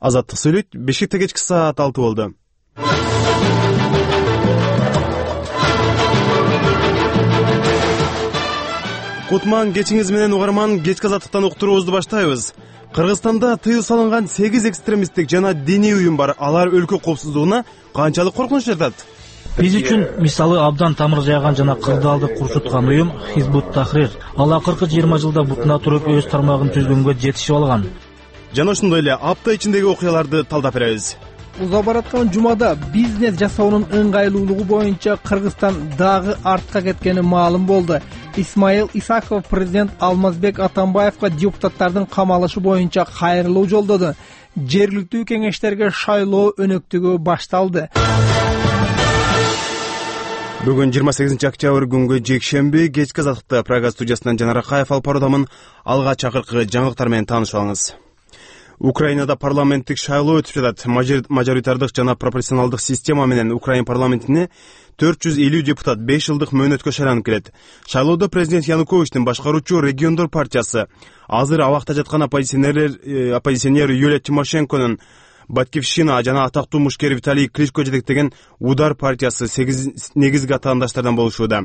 Азаттык сүйлөйт. Бишкекте кечки саат 6 болду. Кутман кечиңиз менен угарман, кечки азаттыктан уктуруубузду баштайбыз. Кыргызстанда тыюу салынган 8 экстремисттик жана диний уюм бар. Алар өлкө коопсуздугуна канчалык коркунуч жатат? Биз үчүн мисалы абдан тамыр жайган жана кырдаалды курчуткан уюм Хизбут Тахрир. Ал акыркы 20 жылда бутуна туруп өз тармагын түзгөнгө жетишип алган. Жана ошондой эле апта ичиндеги окуяларды талдап беребиз. Узап бараткан жумада бизнес жасоонун ыңгайлуулугу боюнча Кыргызстан дагы артка кеткени маалым болду. Исмаил Исаков президент Алмазбек Атамбаевга депутаттардын камалышы боюнча кайрылуу жолдоду. Жергиликтүү кеңештерге шайлоо өнөктүгү башталды. Бүгүн 28 октябрь күнгө жекшемби, кечки азаттыкта Прага студиясынан Жанар Акаев алып баруудамын. Алга чакыркы жаңылыктар менен таанышып алыңыз. Украинада парламенттик шайлоо өтүп жатат. Мажоритардык жана пропорционалдык система менен Украин парламентине 450 депутат 5 жылдык мөөнөткө шайланып келет. Шайлоодо президент Януковичтин башкаруучу региондор партиясы, азыр абакта жаткан оппозиционер Юлия Тимошенконун Батькивщина жана атактуу мушкер Виталий Кличко жетектеген Удар партиясы 8 негизги атаандаштардан болушууда.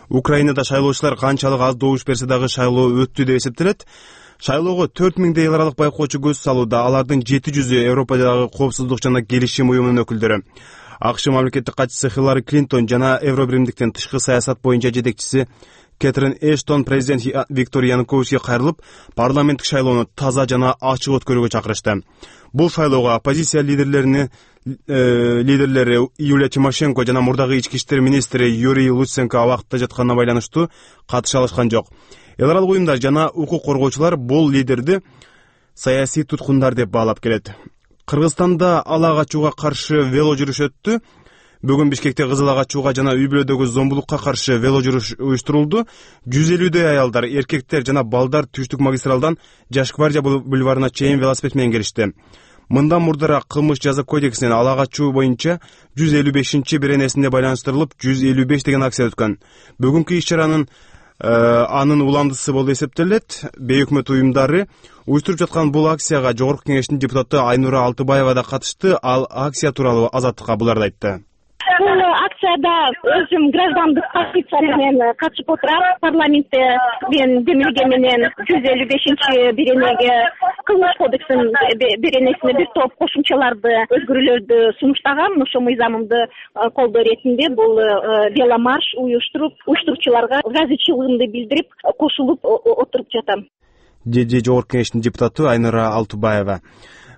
Украинада шайлоочулар канчалык аз добуш берсе дагы шайлоо өттү деп эсептелет. Шайлоого 4000 эл аралык байкоочу көз салууда. Алардын 700-ü Европадагы коопсуздук жана келишим уюмунун өкүлдөрү. АКШ мамлекеттик катчысы Хиллари Клинтон жана Евробиримдиктин тышкы саясат боюнча жетекчиси Кэтрин Эштон президент Виктор Януковичке кайрылып, парламенттик шайлоону таза жана ачык өткөрүүгө чакырышты. Бул шайлоого оппозиция лидерлери Юлия Тимошенко жана мурдагы ички иштер министри Юрий Луценко абакта жатканына байланыштуу катыша алышкан жок. Эл аралык уюмдар жана укук коргоочулар бул лидерди саясий туткундар деп баалап келет. Кыргызстанда ала качууга каршы вело жүрүш өттү. Бүгүн Бишкекте кызыл качууга жана үй-бүлөдөгү зомбулукка каршы вело жүрүш уюштурулду. 150дөй аялдар, эркектер жана балдар Түштүк магистралдан Жаш гвардия бульварына чейин велосипед менен келишти. Мындан мурдараак кылмыш жаза кодексинин ала качуу боюнча 155-беренесине байланыштырылып 155 деген акция өткөн. Бүгүнкү иш-чаранын анын уландысы болуп эсептелет. Бейөкмөт уюмдары уюштуруп жаткан бул акцияга Жогорку кеңештин депутаты Айнура Алтыбаева да катышты. Ал акция тууралуу Азаттыкка буларды айтты. Бул акцияда өзүм граждандык позиция менен катышып отурам. Парламентте мен демилге менен 155-беренеге кылмыш кодексинин беренесине бир топ кошумчаларды өзгөрүүлөрдү сунуштагам. Ошо мыйзамымды колдоо иретинде бул веломарш уюштуруучуларга ыраазычылыгымды билдирип кошулуп отуруп жатам. Жогорку кеңештин депутаты Айнура Алтыбаева.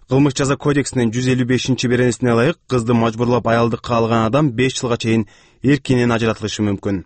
Кылмыш жаза кодексинин 155-беренесине ылайык кызды мажбурлап аялдыкка алган адам 5 жылга чейин эркинен ажыратылышы мүмкүн.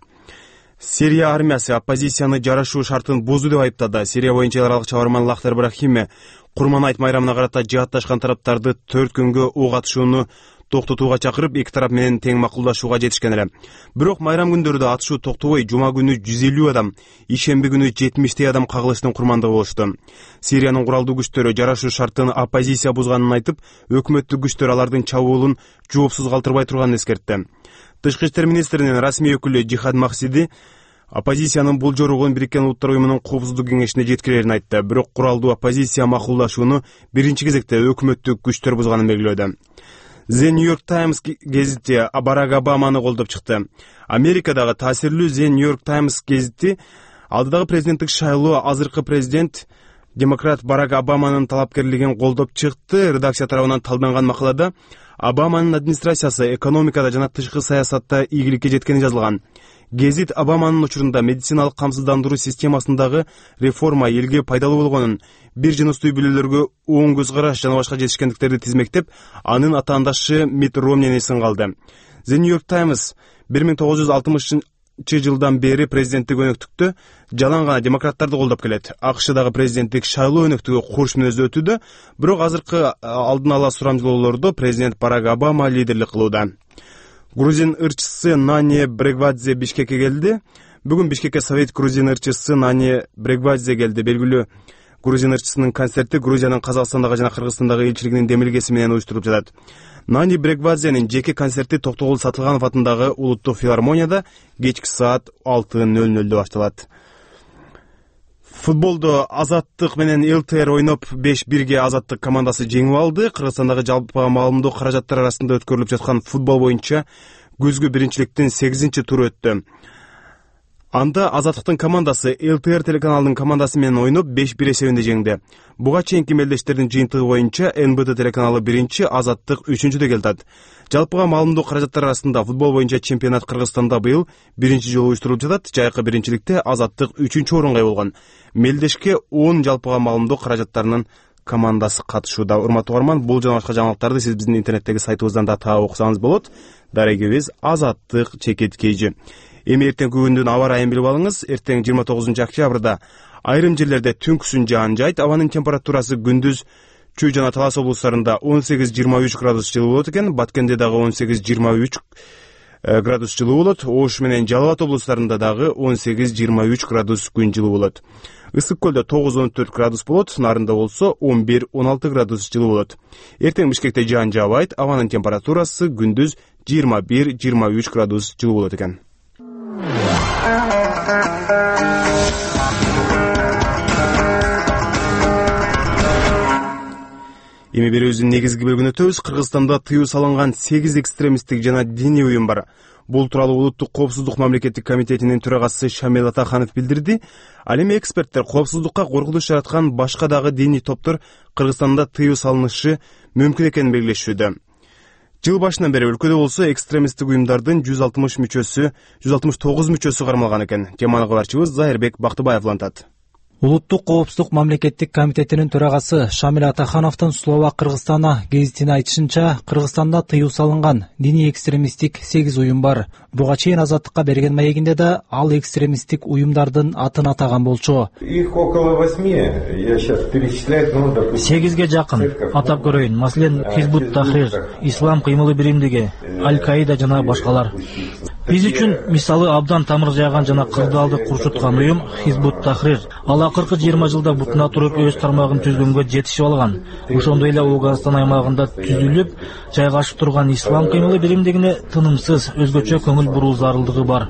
Сирия армиясы оппозицияны жарашуу шартын бузду деп айыптады. Сирия боюнча эл аралык чабарман Лахтар Брахиме Курман айт майрамына карата жаатташкан тараптарды 4 күнгө ок атышууну токтотууга чакырып, эки тарап менен тең макулдашууга жетишкен эле. Бирок майрам күндөрдө атышуу токтобой, жума күнү 150 адам, ишемби күнү 70 адам кагылыштын курмандыгы болушту. Сириянын куралдуу күчтөрү жарашуу шартын оппозиция бузганын айтып, өкмөттүк күчтөр алардын чабуулун жоопсуз калтырбай турганын эскертти. Тышкы иштер министринин расмий өкүлү Жихад Максиди оппозициянын бул жоругун Бириккен Улуттар уюмунун коопсуздук кеңешине жеткирерин айтты. Бирок куралдуу оппозиция макулдашууну биринчи кезекте өкмөттүк күчтөр бузганын белгилөөдө. The New York Times гезити Барак Обаманы колдоп чыкты. Америкадагы таасирлүү The New York Times гезити алдыдагы президенттик шайлоо азыркы президент демократ Барак Обаманын талапкерлигин колдоп чыкты. Редакция тарабынан талданган макалада Обаманын администрациясы экономикада жана тышкы саясатта ийгиликке жеткени жазылган. Гезит Обаманын учурунда медициналык камсыздандыруу системасындагы реформа элге пайдалуу болгонун, бир жыныстуу үй-бүлөлөргө оң көз караш жана башка жетишкендиктерди тизмектеп, анын атаандашы Мит Ромнини сынга алды. The New York Times 1960-жылдан бери президенттик өнөктүктө жалаң гана демократтарды колдоп келет. АКШдагы президенттик шайлоо өнөктүгү курч мүнөздө өтүүдө, бирок азыркы алдын ала сурамжылоолордо президент Барак Обама лидерлик кылууда. Грузин ырчысы Нани Брегвадзе Бишкекке келди. Бүгүн Бишкекке Совет грузин ырчысы Нани Брегвадзе келди. Белгилүү грузин ырчысынын концерти Грузиянын Казакстандагы жана Кыргызстандагы элчилигинин демилгеси менен уюштуруп жатат. Нани Брегвадзенин жеке концерти Токтогул Сатылганов атындагы Улуттук филармонияда кечки саат 6:00 башталат. Футболдо Азаттык менен ЛТР ойноп 5-1 Азаттык командасы жеңип алды. Кыргызстандагы жалпы маалымдоо каражаттар арасында өткөрүлүп жаткан футбол боюнча күзгү биринчиликтин 8-туру өттү. Анда Азаттыктын командасы ЛТР телеканалынын командасы менен ойноп 5-1 эсебинде жеңди. Буга чейинки мелдештердин жыйынтыгы боюнча НБД телеканалы 1, Азаттык 3-дө келди. Жалпыга маалымдоо каражаттары арасында футбол боюнча чемпионат Кыргызстанда быйыл биринчи жолу уюштурулуп жатат. Жайкы биринчиликте Азаттык 3-орунга болгон. Мелдешке 10 жалпыга маалымдоо каражаттарынын командасы катышууда. Урматтуу угарман, бул жана башка жаңылыктарды сиз биздин интернеттеги сайтыбыздан да таап окусаңыз болот. Дарегибиз Азаттык чекиткейжи. Эми эртеңки күндүн аба ырайын билип алыңыз. Эртең 29 октябрда айрым жерлерде түнкүсүн жаан жайт. Абанын температурасы күндүз Чүй жана Талас облустарында 18-23 градус жылуу болот экен. Баткенде дагы 18-23 градус жылуу болот. Ош менен Жалал Абад облустарында дагы 18-23 градус күн жылуу болот. Ысык көлдө 9-14 градус болот. Нарында болсо 11-16 градус жылуу болот. Эртең Бишкекте жаан жаабайт. Абанын температурасы күндүз 21-23 градус жылуу болот экен. Эми берүүбүздүн негизги бөлүгүнө өтөбүз. Кыргызстанда тыюу салынган 8 экстремисттик жана диний уюм бар. Бул тууралуу Улуттук коопсуздук мамлекеттик комитетинин төрагасы Шамил Атаханов билдирди. Ал эми эксперттер коопсуздукка коркунуч жараткан башка дагы диний топтор Кыргызстанда тыюу салынышы мүмкүн экенин белгилешүүдө. Жыл башынан бери өлкөдө болсо экстремисттик уюмдардын 169 мүчөсү кармалган экен. Теманы кабарчыбыз Зайырбек Бактыбаев улантат. Улуттук коопсуздук мамлекеттик комитетинин төрагасы Шамил Атахановдун Словак Кыргызстана гезитине айтышынча, Кыргызстанда тыюу салынган диний экстремисттик 8 уюм бар. Буга чейин Азаттыкка берген маегинде да ал экстремисттик уюмдардын атын атаган болчу. Их около 8, я сейчас перечислять, допустим. 8ге жакын атап көрөйүн. Маселен, Хизбут Тахрир, Ислам кыймылы биримдиги, Аль-Каида жана башкалар. Биз үчүн мисалы абдан тамыр жайган жана кырдаалды курчуткан уюм Хизбут Тахрир. Ал акыркы 20 жылда бутуна туруп өз тармагын түзгөнгө жетишип алган. Ошондой эле Оогазстан аймагында түзүлүп, жайгашып турган Ислам кыймылы биримдигине тынымсыз өзгөчө көңүл буруу зарылдыгы бар.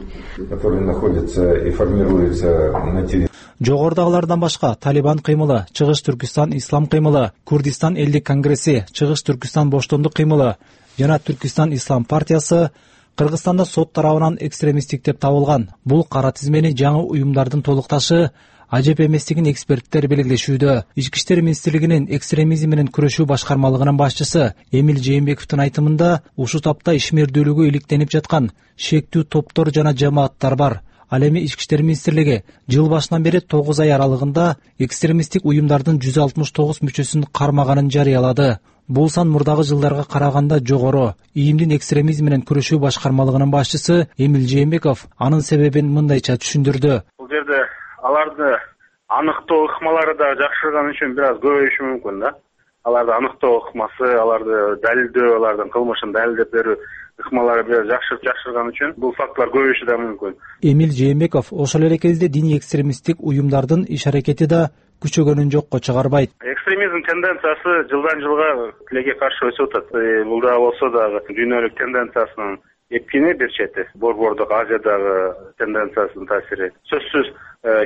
Жогорудагылардан башка Талибан кыймылы, Чыгыш Түркистан Ислам кыймылы, Курдистан элдик конгресси, Чыгыш Түркистан боштондук кыймылы жана Түркистан Ислам партиясы Кыргызстанда сот тарабынан экстремисттик деп табылган. Бул кара тизмени жаңы уюмдардын толукташы ажеп эместигин эксперттер белгилешүүдө. Ички иштер министрлигинин экстремизм менен күрөшүү башкармалыгынын башчысы Эмил Жээнбековдун айтымында ушу тапта ишмердүүлүгү иликтенип жаткан шектүү топтор жана жамааттар бар. Ал эми Ички иштер министрлиги жыл башынан бери 9 ай аралыгында экстремисттик уюмдардын 169 мүчөсүн кармаганын жарыялады. Бул сан мурдагы жылдарга караганда жогору. ИИМдин экстремизм менен күрөшүү башкармалыгынын башчысы Эмил Жээнбеков анын себебин мындайча түшүндүрдү. Бул жерде аларды аныктоо ыкмалары да жакшырган үчүн бир аз көбөйүшү мүмкүн да. Аларды аныктоо ыкмасы, аларды далилдөө, алардын кылмышын далилдеп берүү ыкмалары бир аз жакшырган үчүн бул фактылар көбөйүшү да мүмкүн. Эмил Жээнбеков ошол эле кезде диний экстремисттик уюмдардын иш аракети да күчөгөнүн жокко чыгарбайт. Экстремизм тенденциясы жылдан жылга тилекке каршы өсүп атат. Бул да болсо дагы дүйнөлүк тенденциясынын эпкини бир чети, борбордук Азиядагы тенденциясынын таасири. Сөзсүз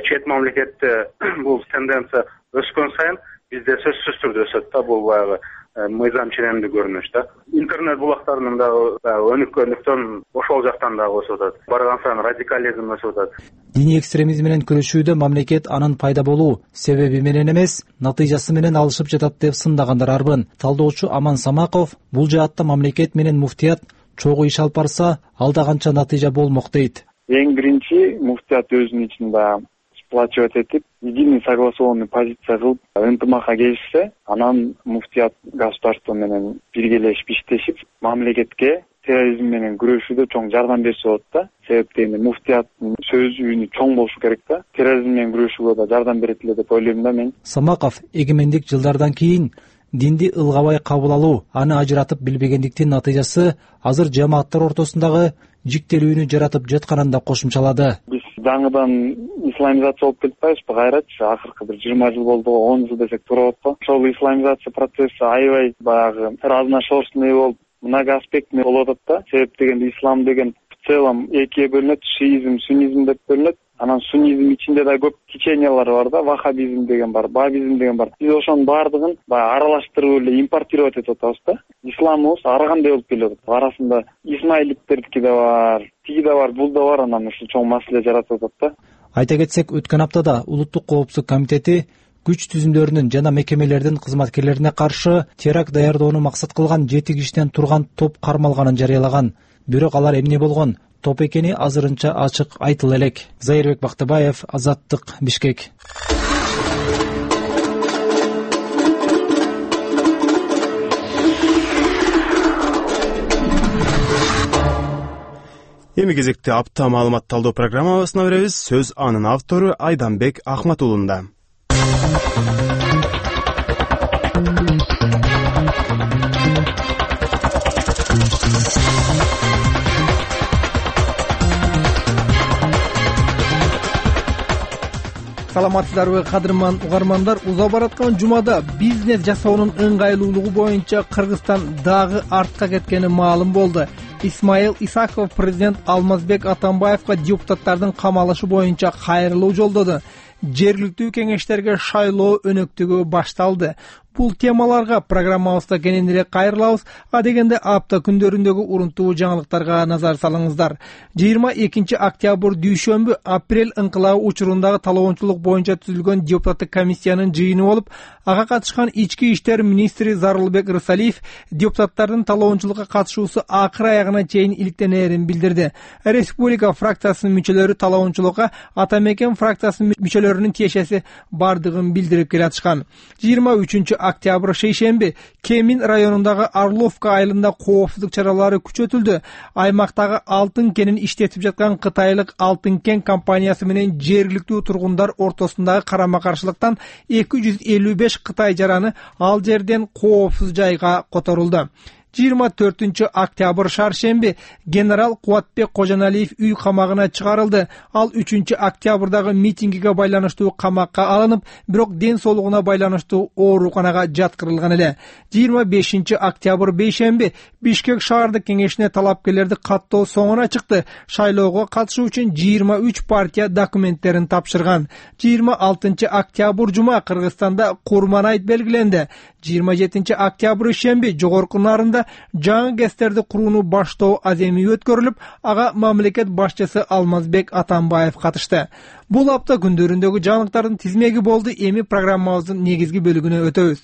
чет мамлекетте бул тенденция өскөн сайын бизде сөзсүз түрдө өсөт да, бул баягы мыйзам ченемдүү көрүнүш да. Интернет булактарынын дагы өнүккөндүктөн ошол жактан дагы өсүп атат. Барган сайын радикализм өсүп атат. Диний экстремизм менен күрөшүүдө мамлекет анын пайда болуу себеби менен эмес, натыйжасы менен алышып жатат деп сындагандар арбын. Талдоочу Аман Самаков бул жаатта мамлекет менен муфтият чогуу иш алып барса, ал да канча натыйжа болмок дейт. Эң биринчи муфтият өзүнүн ичинде сплачивать этип, единый согласованный позиция кылып, ынтымакка келишсе, анан муфтият государство менен биргелешип иштешип, мамлекетке терроризм менен күрөшүүдө чоң жардам берсе болот да. Себеп дегенде муфтияттын сөз үнү чоң болушу керек да. Терроризм менен күрөшүүгө да жардам берет эле деп ойлойм да мен. Самаков эгемендик жылдардан кийин динди ылгабай кабыл алуу, аны ажыратып билбегендиктин натыйжасы азыр жамааттар ортосундагы жиктелүүнү жаратып жатканын да кошумчалады. Биз жаңыдан исламизация болуп кетип атпайбызбы кайрачы? Акыркы бир 20 жыл болду, 10 жыл десек туура болот го. Ошол исламизация процесси аябай баягы разношерстный болуп, многоаспектный болуп атат да. Себеп дегенде ислам деген целом экиге бөлүнөт, шиизм, суннизм деп бөлүнөт. Анан суннизм ичинде да көп течениялар бар да, ваххабизм деген бар, бабизм деген бар. Биз ошонун баардыгын баягы аралаштырып эле импортировать этип атабыз да. Исламыбыз ар кандай болуп келип атат. Арасында исмаилиттердики да бар, тиги да бар, бул да бар, анан ушул чоң маселе жаратып атат да. Айта кетсек, өткөн аптада Улуттук коопсуздук комитети күч түзүмдөрүнүн жана мекемелердин кызматкерлерине каршы теракт даярдоону максат кылган 7 кишиден турган топ кармалганын жарыялаган. Бирок алар эмне болгон топ экени азырынча ачык айтыла элек. Зайырбек Бактыбаев, Азаттык, Бишкек. Эми кезекте апта маалымат талдоо программабызына беребиз. Сөз анын автору Айданбек Ахматулунда. Саламатсыздарбы, кадырман угармандар? Узап бараткан жумада бизнес жасоонун ыңгайлуулугу боюнча Кыргызстан дагы артка кеткени маалым болду. Исмаил Исаков президент Алмазбек Атамбаевга депутаттардын камалышы боюнча кайрылуу жолдоду. Жергиликтүү кеңештерге шайлоо өнөктүгү башталды. Бул темаларга программабызда кененирээк кайрылабыз. А дегенде апта күндөрүндөгү урунтуу жаңылыктарга назар салыңыздар. 22 октябрь дүйшөмбү апрель ыңкылабы учурундагы талоончулук боюнча түзүлгөн депутаттык комиссиянын жыйыны болуп, ага катышкан ички иштер министри Зарылбек Рысалиев депутаттардын талоончулукка катышуусу акыр аягына чейин иликтенээрин билдирди. Республика фракциясынын мүчөлөрү талоончулукка Ата Мекен фракциясынын мүчөлөрүнүн тиешеси бардыгын билдирип келатышкан. 23 октябрь шейшемби Кемин районундагы Орловка айылында коопсуздук чаралары күчөтүлдү. Аймактагы алтын кенин иштетип жаткан кытайлык Алтын кен компаниясы менен жергиликтүү тургундар ортосундагы карама-каршылыктан 255 Кытай жараны ал жерден коопсуз жайга которулду. 24 октябрь шаршемби генерал Кубатбек Кожоналиев үй камагына чыгарылды. Ал 3 октябрдагы митингиге байланыштуу камакка алынып, бирок ден соолугуна байланыштуу ооруканага жаткырылган эле. 25 октябрь бейшемби Бишкек шаардык кеңешине талапкерлерди каттоо соңуна чыкты. Шайлоого катышуу үчүн 23 партия документтерин тапшырган. 26 октябрь жума Кыргызстанда Курман айт белгиленди. 27 октябрь шемби жогорку нарында жаңы ГЭСтерди курууну баштоо аземи өткөрүлүп, ага мамлекет башчысы Алмазбек Атамбаев катышты. Бул апта күндөрүндөгү жаңылыктардын тизмеги болду. Эми программабыздын негизги бөлүгүнө өтөбүз.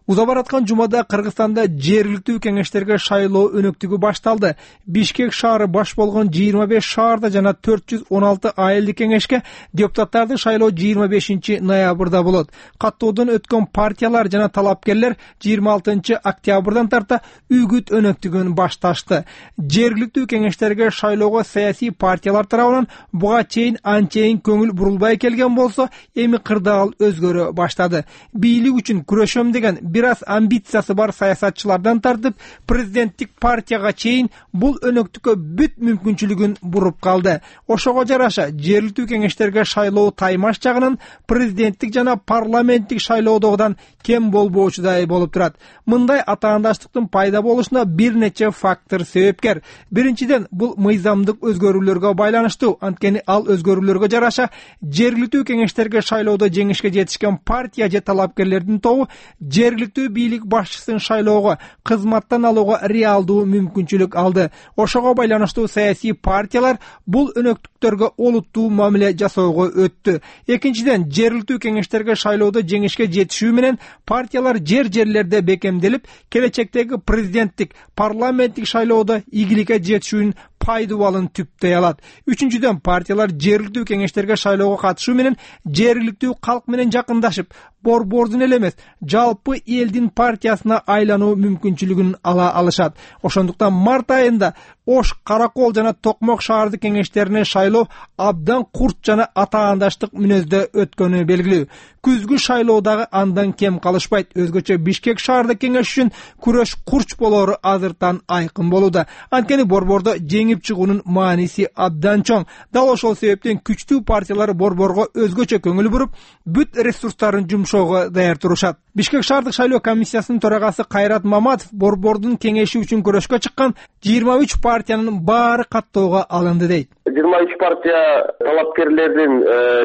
Узап бараткан жумада Кыргызстанда жергиликтүү кеңештерге шайлоо өнөктүгү башталды. Бишкек шаары баш болгон 25 шаарда жана 416 айылдык кеңешке депутаттарды шайлоо 25 ноябрда болот. Каттоодон өткөн партиялар жана талапкерлер 26 октябрдан тарта үгүт өнөктүгүн башташты. Жергиликтүү кеңештерге шайлоого саясий партиялар тарабынан буга чейин анчейин көңүл бурулбай келген болсо, эми кырдаал өзгөрө баштады. Бийлик үчүн күрөшөм деген бир аз амбициясы бар саясатчылардан тартып президенттик партияга чейин бул өнөктүккө бүт мүмкүнчүлүгүн буруп калды. Ошого жараша жергиликтүү кеңештерге шайлоо таймаш жагынан президенттик жана парламенттик шайлоодогудан кем болбоочудай болуп турат. Мындай атаандаштыктын пайда болушуна бир нече фактор себепкер. Биринчиден, бул мыйзамдык өзгөрүүлөргө байланыштуу. Анткени ал өзгөрүүлөргө жараша жергиликтүү кеңештерге шайлоодо жеңишке жетишкен партия же талапкерлердин тобу жергиликтүү бийлик башчысын шайлоого, кызматтан алууга реалдуу мүмкүнчүлүк алды. Ошого байланыштуу саясий партиялар бул өнөктүктөргө олуттуу мамиле жасоого өттү. Экинчиден, жергиликтүү кеңештерге шайлоодо жеңишке жетишүү менен партиялар жерлерде бекемделип, келечектеги президенттик, парламенттик шайлоодо ийгиликке жетишүүнүн пайдубалын түптөй алат. Үчүнчүдөн, партиялар жергиликтүү кеңештерге шайлоого катышуу менен жергиликтүү калк менен жакындашып, борбордун эле эмес, жалпы элдин партиясына айлануу мүмкүнчүлүгүн ала алышат. Ошондуктан март айында Ош, Каракол жана Токмок шаардык кеңештерине шайлоо абдан курт жана атаандаштык мүнөздө өткөнү белгилүү. Күзгү шайлоодагы андан кем калышпайт. Өзгөчө Бишкек шаардык кеңеш үчүн күрөш курч болору азыртан айкын болууда. Анткени борбордо жеңип чыгуунун мааниси абдан чоң. Дал ошол себептен күчтүү партиялар борборго өзгөчө көңүл буруп, бүт ресурстарын жумшоого даяр турушат. Бишкек шаардык шайлоо комиссиясынын төрагасы Кайрат Маматов борбордун кеңеши үчүн көрөшкө чыккан 23 партиянын баары каттоого алынды дейт. 23 партия талапкерлердин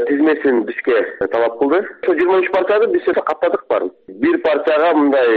тизмесин бизге талап кылды. Ошо 23 партияны биз каттадык баарын. Бир партияга мындай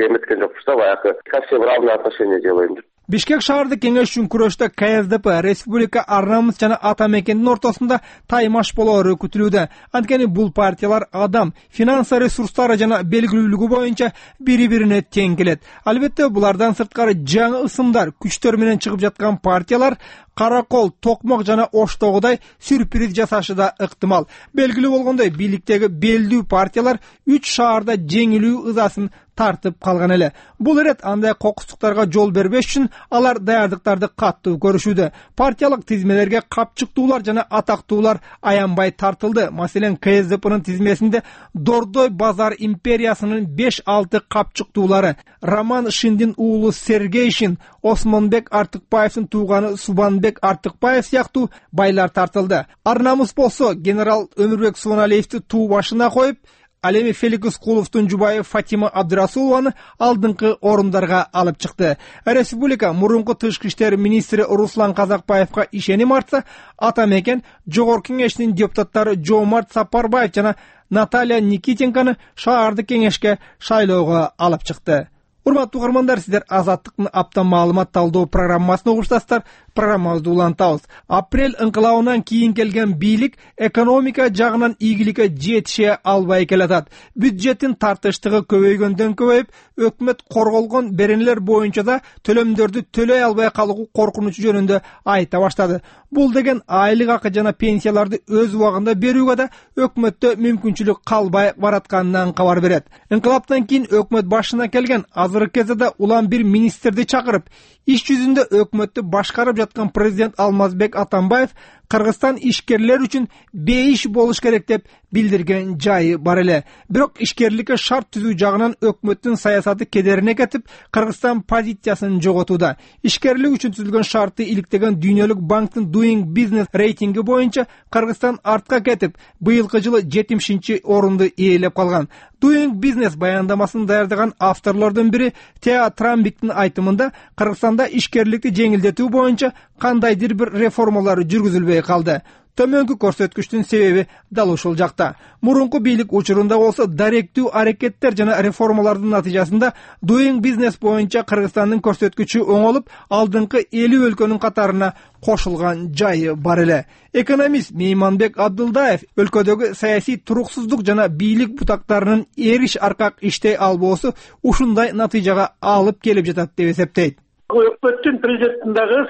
эметкен жокпуз да, баягы совсем равный отношение делаем деп. Бишкек шаардык кеңеш үчүн күрөштө КСДП, Республика Ар намыс жана Ата мекендин ортосунда таймаш болоору күтүлүүдө. Анткени бул партиялар адам, финансы ресурстары жана белгилүүлүгү боюнча бири-бирине тең келет. Албетте булардан сырткары жаңы ысымдар, күчтөр менен чыгып жаткан партиялар Каракол, Токмок жана Оштогудай сюрприз жасашы да ыктымал. Белгилүү болгондой, бийликтеги белдүү партиялар 3 шаарда жеңилүү ызасын тартып калган эле. Бул ирет андай кокустуктарга жол бербеш үчүн алар даярдыктарды каттуу көрүшүүдө. Партиялык тизмелерге капчыктуулар жана атактуулар аянбай тартылды. Маселен, КСДПнын тизмесинде Дордой базар империясынын 5-6 капчыктуулары Роман Шиндин уулу Сергей Шин, Осмонбек Артыкбаевдин тууганы Субанбек Артыкбаев сыяктуу байлар тартылды. Ар намыс болсо генерал Өмүрбек Субаналиевди туу башына коюп, ал эми Фелик Искуловдун жубайы Фатима Абдырасулованы алдыңкы орундарга алып чыкты. Республика мурунку тышкы иштер министри Руслан Казакбаевга ишеним артса, Ата мекен жогорку кеңешинин депутаттары Жоомарт Сапарбаев жана Наталья Никитенканы шаардык кеңешке шайлоого алып чыкты. Урматтуу угармандар, сиздер Азаттыктын апта маалымат талдоо программасын угуштасыздар. Программабызды улантабыз. Апрель ыңкылабынан кийин келген бийлик экономика жагынан ийгиликке жетише албай келатат. Бюджеттин тартыштыгы көбөйгөндөн көбөйүп, өкмөт корголгон беренелер боюнча да төлөмдөрдү төлөй албай калуу коркунучу жөнүндө айта баштады. Бул деген айлык акы жана пенсияларды өз убагында берүүгө да өкмөттө мүмкүнчүлүк калбай баратканынан кабар берет. Ыңкылаптан кийин өкмөт башына келген азыркы кезде улам бир министрди чакырып, иш жүзүндө өкмөттү башкарып жаткан президент Алмазбек Атамбаев Кыргызстан ишкерлер үчүн бейиш болуш керек деп билдирген жайы бар эле. Бирок ишкерликке шарт түзүү жагынан өкмөттүн саясаты кедерине кетип, Кыргызстан позициясын жоготууда. Ишкерлик үчүн түзүлгөн шартты иликтеген Дүйнөлүк банктын Doing Business рейтинги боюнча Кыргызстан артка кетип, быйылкы жылы 70-орунду ээлеп калган. Doing Business баяндамасын даярдаган авторлордун бири Теа Трамбиктин айтымында, Кыргызстанда ишкерликти жеңилдетүү боюнча кандайдыр бир реформалар жүргүзүлбөй калды. Төмөнкү көрсөткүчтүн себеби дал ушул жакта. Мурунку бийлик учурунда болсо даректүү аракеттер жана реформалардын натыйжасында Doing Business боюнча Кыргызстандын көрсөткүчү оңолуп, алдыңкы 50 өлкөнүн катарына кошулган жайы бар эле. Экономист Мейманбек Абдылдаев өлкөдөгү саясий туруксуздук жана бийлик бутактарынын эриш аркак иштей албоосу ушундай натыйжага алып келип жатат деп эсептейт. Өкмөттүн президенттин дагы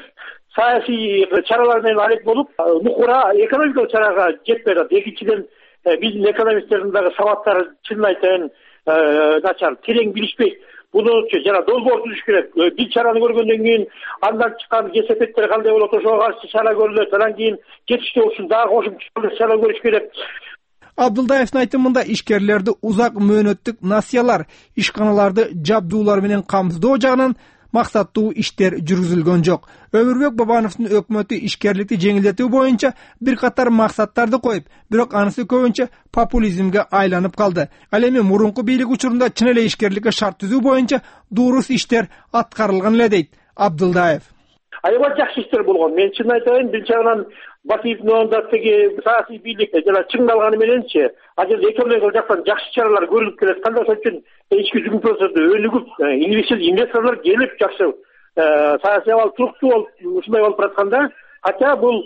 саясий чаралар менен алек болуп, нукура экономикалык чарага жетпей атат. Экинчиден, биздин экономисттердин дагы сабаттары чынын айтайын начар, терең билишпейт. Буну жана долбоор түзүш керек. Бир чараны көргөндөн кийин андан чыккан кесепеттер кандай болот, ошого каршы чара көрүлөт. Анан кийин кетиште болсун дагы кошумча чара көрүш керек. Абдылдаевдин айтымында ишкерлерди узак мөөнөттүк насыялар, ишканаларды жабдуулар менен камсыздоо жагынан максаттуу иштер жүргүзүлгөн жок. Өмүрбек Бабановдун өкмөтү ишкерликти жеңилдетүү боюнча бир катар максаттарды коюп, бирок анысы көбүнчө популизмге айланып калды. Ал эми мурунку бийлик учурунда чын эле ишкерликке шарт түзүү боюнча дурус иштер аткарылган эле дейт Абдылдаев. Аябай жакшы иштер болгон. Мен чын айтайын, бир жагынан Батиевдин оңунда теги саясий бийлик жана чыңдалганы мененчи, азыр экономикалык жактан жакшы чаралар көрүлүп келет. Кандай үчүн ички жүгүнтүлөрдө өнүгүп, инвесторлор келип жакшы саясий абал туруктуу болуп, ушундай болуп баратканда, хотя бул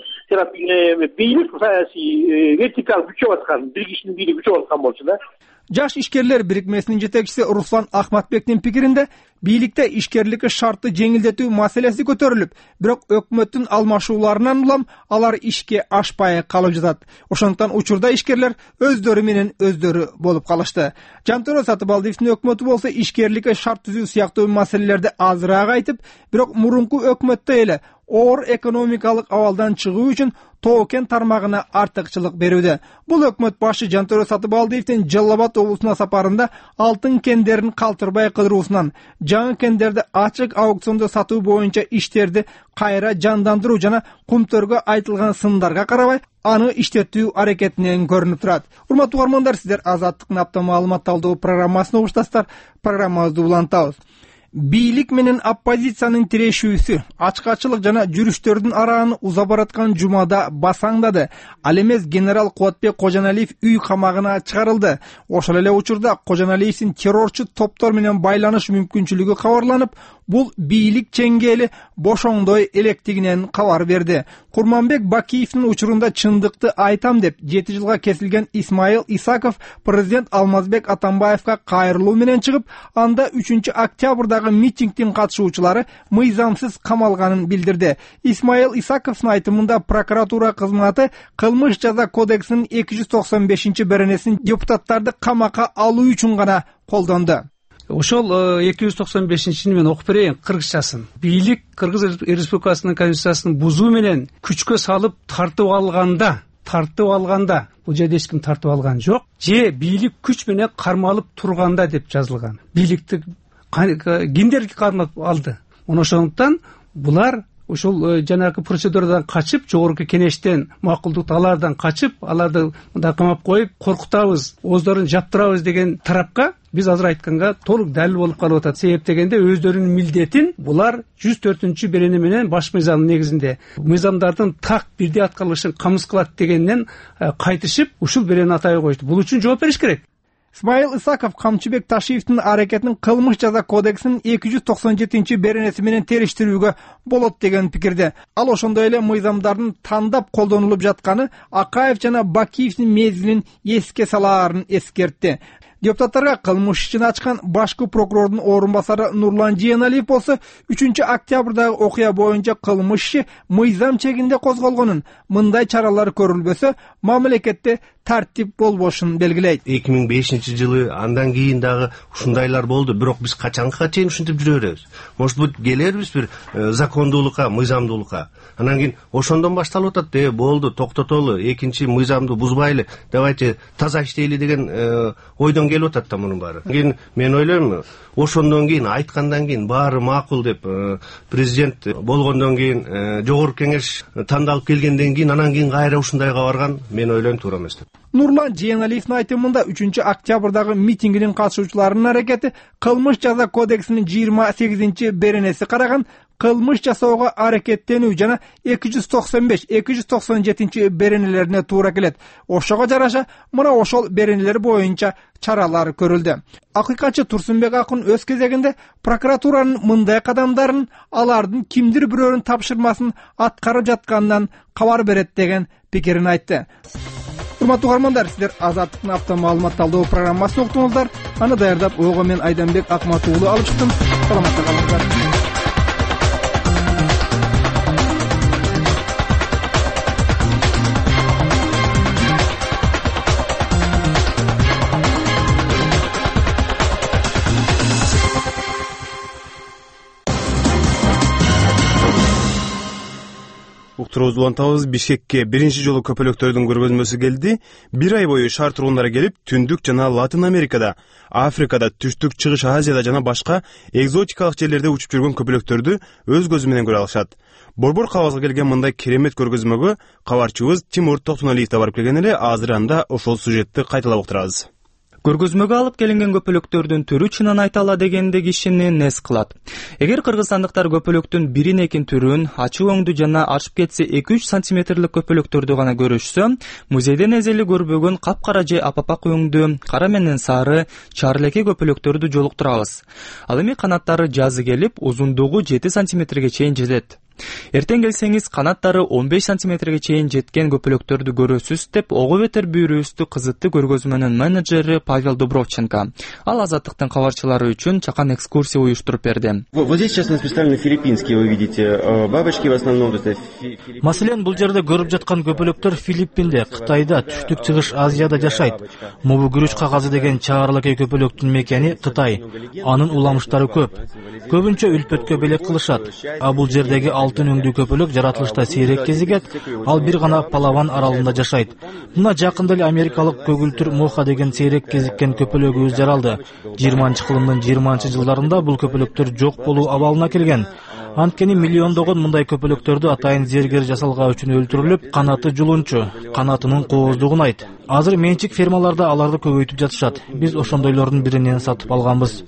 бийлик саясий вертикаль күчөп аткан, бир кишинин бийлиги күчөп аткан болчу да. Жаш ишкерлер бирикмесинин жетекчиси Руслан Ахматбектин пикиринде, бийликте ишкерликке шартты жеңилдетүү маселеси көтөрүлүп, бирок өкмөттүн алмашууларынан улам алар ишке ашпай калып жатат. Ошондуктан учурда ишкерлер өздөрү менен өздөрү болуп калышты. Жантөрө Сатыбалдиевдин өкмөтү болсо ишкерликке шарт түзүү сыяктуу маселелерди азыраак айтып, бирок мурунку өкмөттөй эле оор экономикалык абалдан чыгуу үчүн тоо-кен тармагына артыкчылык берүүдө. Бул өкмөт башы Жантөрө Сатыбалдиевдин Жалал Абад облусуна сапарында алтын кендерин калтырбай кыдыруусунан, жаңы кендерди ачык аукциондо сатуу боюнча иштерди кайра жандандыруу жана кумтөргө айтылган сындарга карабай, аны иштетүү аракетинен көрүнүп турат. Урматтуу угармандар, сиздер Азаттыктын апта маалымат талдоо программасын угуштасыздар. Программабызды улантабыз. Бийлик менен оппозициянын тирешүүсү ачкачылык жана жүрүштөрдүн арааны уза бараткан жумада басаңдады. Ал эмес генерал Кубатбек Кожоналиев үй камагына чыгарылды. Ошол эле учурда Кожоналиевдин террорчу топтор менен байланыш мүмкүнчүлүгү кабарланып, бул бийлик чеңгели бошоңдой электигинен кабар берди. Курманбек Бакиевдин учурунда чындыкты айтам деп 7 жылга кесилген Исмаил Исаков президент Алмазбек Атамбаевга кайрылуу менен чыгып, анда 3-октябрдагы митингдин катышуучулары мыйзамсыз камалганын билдирди. Исмаил Исаковдун айтымында прокуратура кызматы кылмыш жаза кодексинин 295 беренесин депутаттарды камакка алуу үчүн гана колдонду. Ошол 295-ни мен окуп берейин кыргызчасын. Бийлик Кыргыз Республикасынын конституциясын бузуу менен күчкө салып тартып алганда, бул жерде эч ким тартып алган жок, же бийлик күч менен кармалып турганда деп жазылган. Бийликти кимдер кармап алды? Ошондуктан булар ошол жанагы процедурадан качып, жогорку кенештен макулдук алардан качып, аларды мындай камап коюп, коркутабыз, оздорун жаптырабыз деген тарапка биз азыр айтканга толук далил болуп калып атат. Себеп дегенде өздөрүнүн милдетин булар 104-берене менен баш мыйзамдын негизинде мыйзамдардын так бирдей аткарылышын камсыз кылат дегенден кайтышып, ушул беренени атай коюшту. Бул үчүн жооп бериш керек. Исмаил Исаков Камчыбек Ташиевдин аракетин кылмыш жаза кодексинин 297 беренеси менен териштирүүгө болот деген пикирде. Ал ошондой эле мыйзамдардын тандап колдонулуп жатканы Акаев жана Бакиевдин мезгилин эске салаарын эскертти. Депутаттарга кылмыш ишин ачкан башкы прокурордун орун басары Нурлан Жыйеналиев болсо 3-октябрдагы окуя боюнча кылмыш иши мыйзам чегинде козголгонун, мындай чаралар көрүлбөсө мамлекетте тартип болбошун белгилейт. 2005-жылы андан кийин дагы ушундайлар болду, бирок биз качанга чейин ушинтип жүрө беребиз? Может быть, келербиз бир закондуулукка, мыйзамдуулукка. Анан кийин ошондон башталып атат, болду, токтотолу, экинчи мыйзамды бузбайлы, давайте таза иштейли деген ойдон келип атат да мунун баары. Кийин мен ойлойм, ошондон кийин айткандан кийин баары макул деп президент болгондон кийин жогорку кеңеш тандалып келгенден кийин анан кийин кайра ушундайга барган мен ойлойм туура эмес деп. Нурлан Жыйеналиевдин айтымында 3-октябрдагы митингинин катышуучуларынын аракети кылмыш жаза кодексинин 28 беренеси караган кылмыш жасоого аракеттенүү жана 295-297 беренелерине туура келет. Ошого жараша мына ошол беренелер боюнча чаралар көрүлдү. Акыйкатчы Турсунбек Акын өз кезегинде прокуратуранын мындай кадамдарын алардын кимдир бирөөнүн тапшырмасын аткарып жатканынан кабар берет деген пикирин айтты. Урматтуу угармандар, сиздер Азаттыктын апта маалымат талдоо программасын уктуңуздар. Аны даярдап ойго мен Айданбек Акмат уулу алып чыктым. Саламатта калыңыздар. Уктуруубузду улантабыз. Бишкекке биринчи жолу көпөлөктөрдүн көргөзмөсү келди. Бир ай бою шаар тургундары келип, Түндүк жана Латын Америкада, Африкада, Түштүк Чыгыш Азияда жана башка экзотикалык жерлерде учуп жүргөн көпөлөктөрдү өз көзү менен көрө алышат. Борбор кабазга келген мындай керемет көргөзмөгө кабарчыбыз Тимур Токтоналиев да барып келген эле. Азыр анда ошол сюжетти кайталап уктурабыз. Көргөзмөгө алып келинген көпөлөктөрдүн түрү чынын айтала дегенде кишини нес кылат. Эгер кыргызстандыктар көпөлөктүн бирин экин түрүн, ачык өңдүү жана ашып кетсе 2-3 сантиметрлик көпөлөктөрдү гана көрүшсө, музейден эзели көрбөгөн капкара же апапак өңдүү, кара менен сары, чарлеке көпөлөктөрдү жолуктурабыз. Ал эми канаттары жазы келип, узундугу 7 сантиметрге чейин жетет. Эртең келсеңиз канаттары 15 сантиметрге чейин жеткен көпөлөктөрдү көрөсүз деп ого бетер бүүрүбүздү кызытты көргөзмөнүн менеджери Павел Дубровченко. Ал Азаттыктын кабарчылары үчүн чакан экскурсия уюштуруп берди. Вот здесь сейчас у нас представлены филиппинские, вы видите, бабочки в основном. Маселен, бул жерде көрүп жаткан көпөлөктөр Филиппинде, Кытайда, Түштүк Чыгыш Азияда жашайт. Мобу күрүч кагазы деген чаарылакей көпөлөктүн мекени Кытай. Анын уламыштары көп. Көбүнчө үлпөткө белек кылышат. А бул жердеги алтын өңдүү көпөлөк жаратылышта сейрек кезигет, ал бир гана Палаван аралында жашайт. Мына жакында эле америкалык көгүлтүр моха деген сейрек кезиккен көпөлөгүбүз жаралды. 20-кылымдын 20-жылдарында бул көпөлөктөр жок болуу абалына келген. Анткени миллиондогон мындай көпөлөктөрдү атайын зергер жасалгаа үчүн өлтүрүлүп, канаты жулунчу, канатынын кооздугун айт. Азыр менчик фермаларда аларды көбөйтүп жатышат. Биз ошондойлордун биринен сатып алганбыз.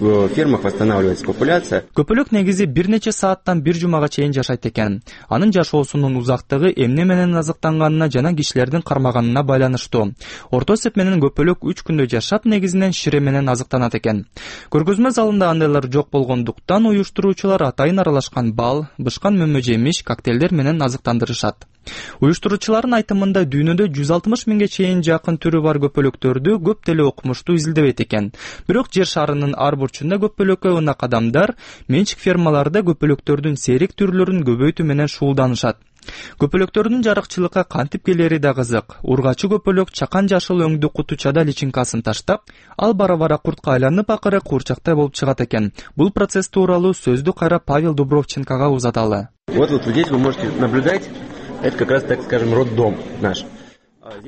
В фермах восстанавливается популяция. Көпөлөк негизи бир нече сааттан бир жумага чейин жашайт экен. Анын жашоосунун узактыгы эмне менен азыктанганына жана кишилердин кармаганына байланыштуу. Орто эсеп менен көпөлөк 3 күндө жашап, негизинен шире менен азыктанат экен. Көргөзмө залында андайлар жок болгондуктан уюштуруучулар атайын аралашкан бал, бышкан мөмө жемиш, коктейлдер менен азыктандырышат. Уюштуруучулардын айтымында дүйнөдө 160 миңге чейин жакын түрү бар көпөлөктөрдү көп деле окумуштуу изилдебейт экен. Бирок жер шарынын ар бурчунда көпөлөккө ынак адамдар менчик фермаларда көпөлөктөрдүн серик түрлөрүн көбөйтүү менен шуулданышат. Көпөлөктөрдүн жарыкчылыкка кантип келери да кызык. Ургачы көпөлөк чакан жашыл өңдүү кутучада личинкасын таштап, ал бара-бара куртка айланып акыры куурчактай болуп чыгат экен. Бул процесс тууралуу сөздү кайра Павел Дубровченкога узаталы. Вот здесь вы можете наблюдать. Это как раз, так скажем, роддом наш.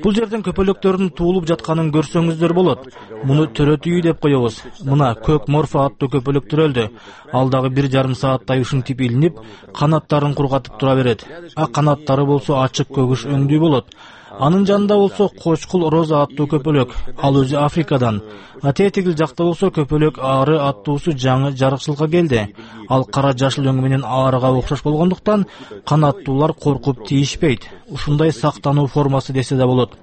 Бул жерден көпөлөктөрдүн туулуп жатканын көрсөңүздөр болот. Муну төрөт үй деп коебуз. Мына көк морфа аттуу көпөлөктөр өлдү. Ал дагы 1,5 сааттай ушинтип илинип, канаттарын кургатып тура берет. А канаттары болсо ачык көгүш өңдүү болот. Анын жанында болсо кочкул роза аттуу көпөлөк. Ал өзү Африкадан. Тегил жакта болсо көпөлөк ары аттуусу жаңы жарыкчылыкка келди. Ал кара жашыл өңү менен арыга окшош болгондуктан канаттуулар коркуп тийишпейт. Ушундай сактануу формасы десе да болот.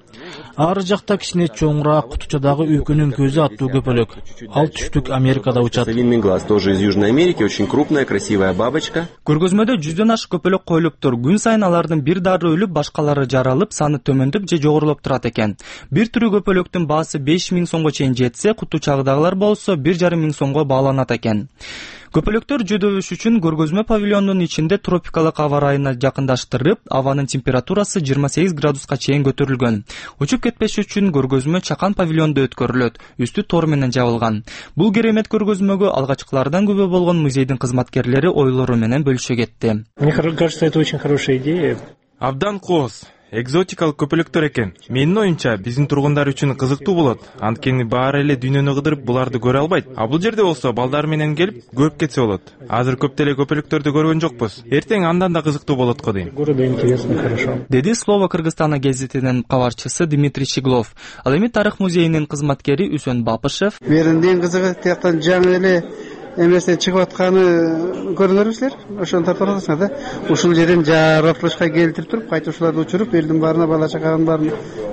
Ары жакта кичине чоңураак кутучадагы үйкүнүн көзү аттуу көпөлөк. Ал түштүк Америкада учат. Глаз тоже из Южной Америки, очень крупная, красивая бабочка. Көргөзмөдө 100дөн ашык көпөлөк коюлуптур. Күн сайын алардын бир дары өлүп, башкалары жаралып, саны төмөндөп же жогорулуп турат экен. Бир түрү көпөлөктүн баасы 5000 сомго чейин жетсе, кутучагдагылар болсо 1500 сомго бааланат экен. Көпөлөктөр жөдөбүш үчүн көргөзмө павильондун ичинде тропикалык аба ырайына жакындаштырып, абанын температурасы 28 градуска чейин көтөрүлгөн. Учуп кетпеш үчүн көргөзмө чакан павильондо өткөрүлөт, үстү тор менен жабылган. Бул керемет көргөзмөгө алгачкылардан күбө болгон музейдин кызматкерлери ойлору менен бөлүшө кетти. Мне кажется, это очень хорошая идея. Абдан кооз. Экзотикалык көпөлөктөр экен. Менин оюмча, биздин тургундар үчүн кызыктуу болот. Анткени баары эле дүйнөнү кыдырып буларды көрө албайт. А бул жерде болсо балдар менен келип көрүп кетсе болот. Азыр көп деле көпөлөктөрдү көргөн жокпуз. Эртең андан да кызыктуу болот го дейм. Города интересно, хорошо. Деди Слово Кыргызстана гезитинин кабарчысы Дмитрий Щеглов. Ал эми тарых музейинин кызматкери Үсөн Бапышев. Беринден кызыгы тияктан жаңы эле эмесе чыгып атканы көрүңөрсүзлөр. Ошону тартып аласыңар да. Ушул жерден жаратылышка келтирип туруп, кайта ушуларды учуруп, элдин баарына бала чаканын баарын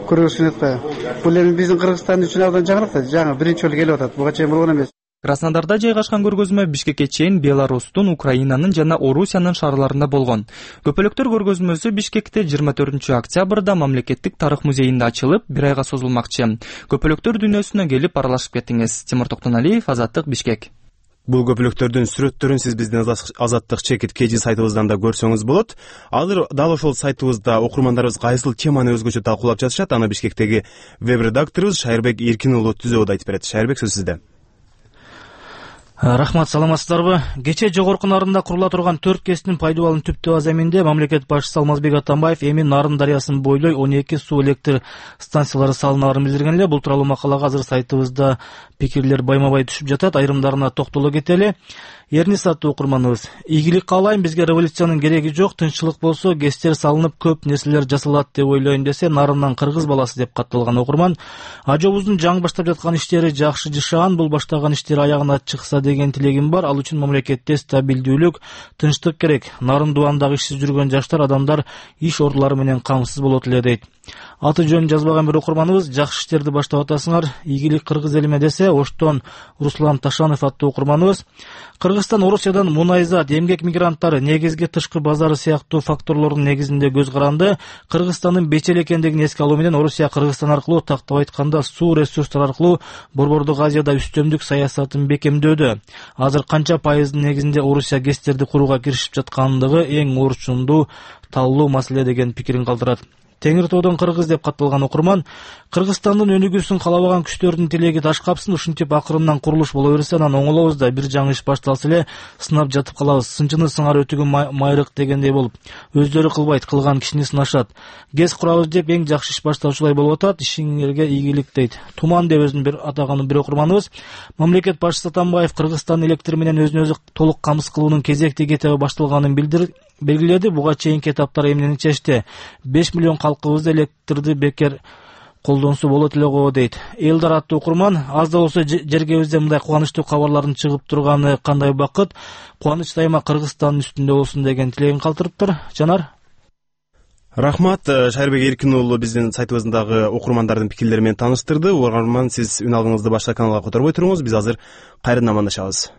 көргөзүп атат. Бул эми биздин Кыргызстан үчүн абдан жаңылык да, жаңы биринчи жолу келип атат. Буга чейин болгон эмес. Краснодарда жайгашкан көргөзмө Бишкекке чейин Беларустун, Украинанын жана Орусиянын шаарларында болгон. Көпөлөктөр көргөзмөсү Бишкекте 24 октябрда мамлекеттик тарых музейинде ачылып, 1 айга созулмакчы. Көпөлөктөр дүйнөсүнө келип аралашып кетиңиз. Тимур Токтоналиев, Азаттык, Бишкек. Бул көпөлөктөрдүн сүрөттөрүн сиз биздин Азаттык чекит KG сайтыбыздан да көрсөңүз болот. Азыр дал ошол сайтыбызда окурмандарыбыз кайсыл теманы өзгөчө талкуулап жатышат, аны Бишкектеги веб-редакторубуз Шайырбек Эркин уулу түзөбү айтып берет. Шайырбек, сөз сизде. Рахмат, саламатсыздарбы? Кечээ жогорку нарында курула турган 4 КЭСтин пайдубалын түптөө аземинде мамлекет башчысы Алмазбек Атамбаев эми Нарын дарыясын бойлой 12 суу электр станциялары салынаарын билдирген эле. Бул тууралуу макалага азыр сайтыбызда пикирлер байма-бай түшүп жатат. Айрымдарына токтоло кетели. Эрнис аттуу окурманыбыз: ийгилик каалайм, бизге революциянын кереги жок, тынччылык болсо КЭСтер салынып көп нерселер жасалат деп ойлойм десе, Нарындан кыргыз баласы деп катталган окурман. Ажобуздун жаңы баштап жаткан иштери жакшы жашаан, бул баштаган иштер аягына чыкса деген тилегим бар. Ал үчүн мамлекетте стабилдүүлүк, тынчтык керек. Нарын дубандагы ишсиз жүргөн жаштар, адамдар иш ордулары менен камсыз болот эле дейт. Аты жөнүн жазбаган бир окурманыбыз: жакшы иштерди баштап атасыңар, ийгилик кыргыз элиме десе, Оштон Руслан Ташанов аттуу окурманыбыз: Кыргызстан Орусиядан мунайзат, эмгек мигранттары, негизги тышкы базары сыяктуу факторлордун негизинде көз каранды. Кыргызстандын бечел экендигин эске алуу менен Орусия Кыргызстан аркылуу, тактап айтканда, суу ресурстары аркылуу Борбордук Азияда үстөмдүк саясатын бекемдөөдө. Азыр канча пайыздын негизинде Орусия КЭСтерди курууга киришип жаткандыгы эң орчундуу, таллуу маселе деген пикирин калтырат. Теңир тоодон кыргыз деп катталган окурман: Кыргызстандын өнүгүүсүн каалабаган күчтөрдүн тилеги ташкапсын, ушинтип акырындан курулуш боло берсе, анан оңолобуз да, бир жаңы иш башталса эле сынап жатып калабыз. Сынчыны сыңар өтүгү майрык дегендей болуп, өздөрү кылбайт, кылган кишини сынашат. КЭС курабыз деп эң жакшы иш башталчулай болуп атат. Ишиңерге ийгилик дейт. Туман деп өзүн бир атаган бир окурманыбыз: мамлекет башчысы Атамбаев Кыргызстан электр менен өзүн өзү толук камсыз кылуунун кезекти кетеби башталганын белгиледи. Буга чейинки этаптар эмнени чечти? 5 миллион калкыбызды электрди бекер колдонсо болот эле го дейт. Элдар аттуу окурман, аз да болсо жергебизде мындай кубанычтуу кабарлардын чыгып турганы кандай бакыт. Кубаныч дайыма Кыргызстандын үстүндө болсун деген тилегин калтырыптыр. Жанар. Рахмат, Шайырбек Эркин уулу биздин сайтыбыздагы окурмандардын пикирлери менен тааныштырды. Угарман, сиз үн алгыңызды башка каналга которбой туруңуз. Биз азыр кайрадан амандашабыз.